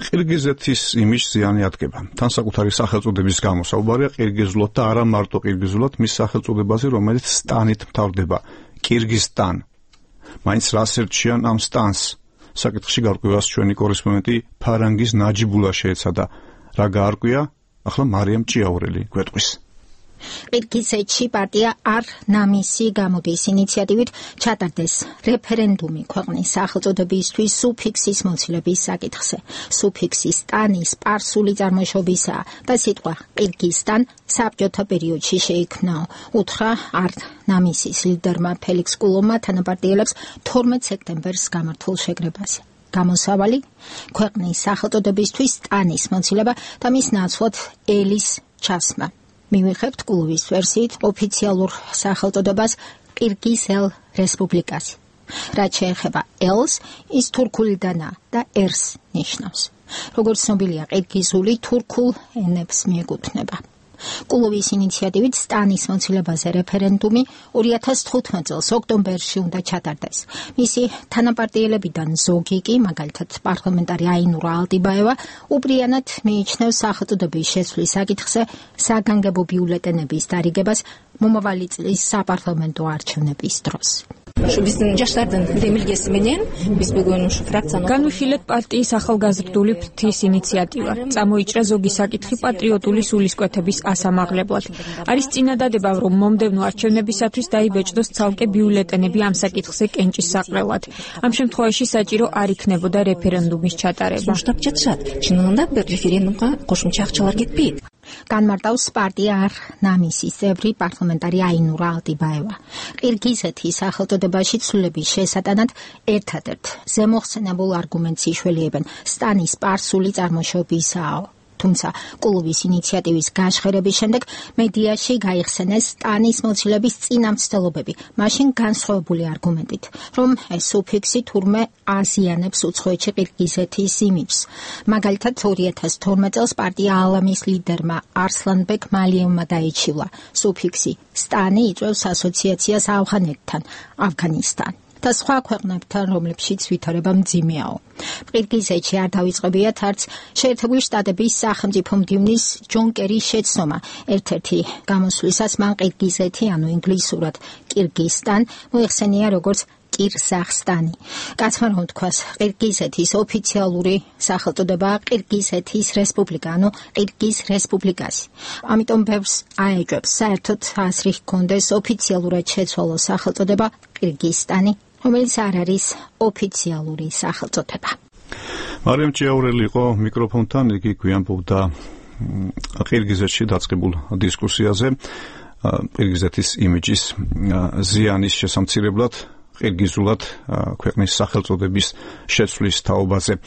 ყირგიზეთის იმიჯს ზიანი ადგება. თან საკუთარი სახელწოდების გამო საუბარია ყირგიზულად და არა მარტო ყირგიზულად მის სახელწოდებაზე, რომელიც სტანით მთავრდება. კირგიზსტან. მაინც რას ერჩიან ამ სტანს? საკითხში გარკვევას ჩვენი კორესპონდენტი ფარანგის ნაჯიბულა შეეცადა. რა გაარკვია? ახლა მარიამ ჭიაურელი გვეტყვის. ყირგიზეთში პარტია არ-ნამისი გამოდის ინიციატივით ჩატარდეს რეფერენდუმი ქვეყნის სახელწოდებისთვის სუფიქსის მოცილების საკითხზე. სუფიქსი სტანი სპარსული წარმოშობისაა და სიტყვა ყირგიზსტან საბჭოთა პერიოდში შეიქმნა. უთხრა არ-ნამისის ლიდერმა ფელიქს კულოვმა თანაპარტიელებს 12 სექტემბერს გამართულ შეკრებაზე. გამოსავალი ქვეყნის სახელწოდებისთვის სტანის მოცილება და მის ნაცვლად ელის ჩასმა. მივიღებთ კულოვის ვერსიით ოფიციალურ სახელწოდებას ყირგიზ-ელ რესპუბლიკას. რაც შეეხება ელს, ის თურქულიდანაა და ერს ნიშნავს. როგორც ცნობილია, ყირგიზული თურქულ ენებს მიეკუთვნება. კულოვის ინიციატივით სტანის მოცილებაზე რეფერენდუმი 2015 წელს ოქტომბერში უნდა ჩატარდეს. მისი თანაპარტიელებიდან ზოგი კი, მაგალითად პარლამენტარი აინურა ალტიბაევა, უბრიანად მიიჩნევს სახელწოდების შეცვლის საკითხზე საგანგებო ბიულეტენების დარიგებას მომავალი წლის საპარლამენტო არჩევნების დროს. განვიხილეთ პარტიის ახალგაზრდული ფრთის ინიციატივა. წამოიჭრა ზოგი საკითხი პატრიოტული სულისკვეთების ასამაღლებლად. არის წინადადება, რომ მომდევნო არჩევნებისათვის დაიბეჭდოს ცალკე ბიულეტენები ამ საკითხზე კენჭის საყრელად. ამ შემთხვევაში საჭირო არ იქნებოდა რეფერენდუმის ჩატარება. განმარტავს პარტია არ-ნამისის წევრი პარლამენტარი აინურა ალტიბაევა. ყირგიზეთის სახელწოდებაში ცვლილების შესატანად ერთადერთ ზემოხსენებულ არგუმენტს იშველიებენ სტანის სპარსული წარმოშობისაა. თუმცა კულოვის ინიციატივის გაშხერების შემდეგ მედიაში გაიხსენეს სტანის მოცილების წინამცდელობები, მაშინ განსხვავებული არგუმენტით, რომ ეს სუფიქსი თურმე აზიანებს უცხოეთში ყირგიზეთის იმიჯს. მაგალითად 2012 წელს პარტია ალამის ლიდერმა არსლანბეკ მალიევმა დაიჩივლა. სუფიქსი სტანი იწვევს ასოციაციას ავღანეთთან, ავღანისტან და სხვა ქვეყნებთან, რომლებშიც ვითარება მძიმეაო. ყირგიზეთში არ დავიწყებიათ არც შეერთებული შტატების სახელმწიფო მდივნის ჯონ კერის შეცდომა. ერთ-ერთი გამოსვლისას მან ყირგიზეთი, ანუ ინგლისურად კირგიზსტან, მოიხსენია როგორც კირზახსტანი. კაცმა რომ თქვას, ყირგიზეთის ოფიციალური სახელწოდებაა ყირგიზეთის რესპუბლიკა, ანუ ყირგიზ რესპუბლიკასი. ამიტომ ბევრს აეჭვებს საერთოდ აზრი ჰქონდეს ოფიციალურად შეცვალოს სახელწოდება ყირგიზსტანი, რომელიც არ არის ოფიციალური სახელწოდება. მარიამ ჭიაურელი იყო მიკროფონთან, იგი გვიამბობდა ყირგიზეთში დაწყებულ დისკუსიაზე ყირგიზეთის იმიჯის ზიანის შესამცირებლად ყირგიზულად ქვეყნის სახელწოდების შეცვლის თაობაზე.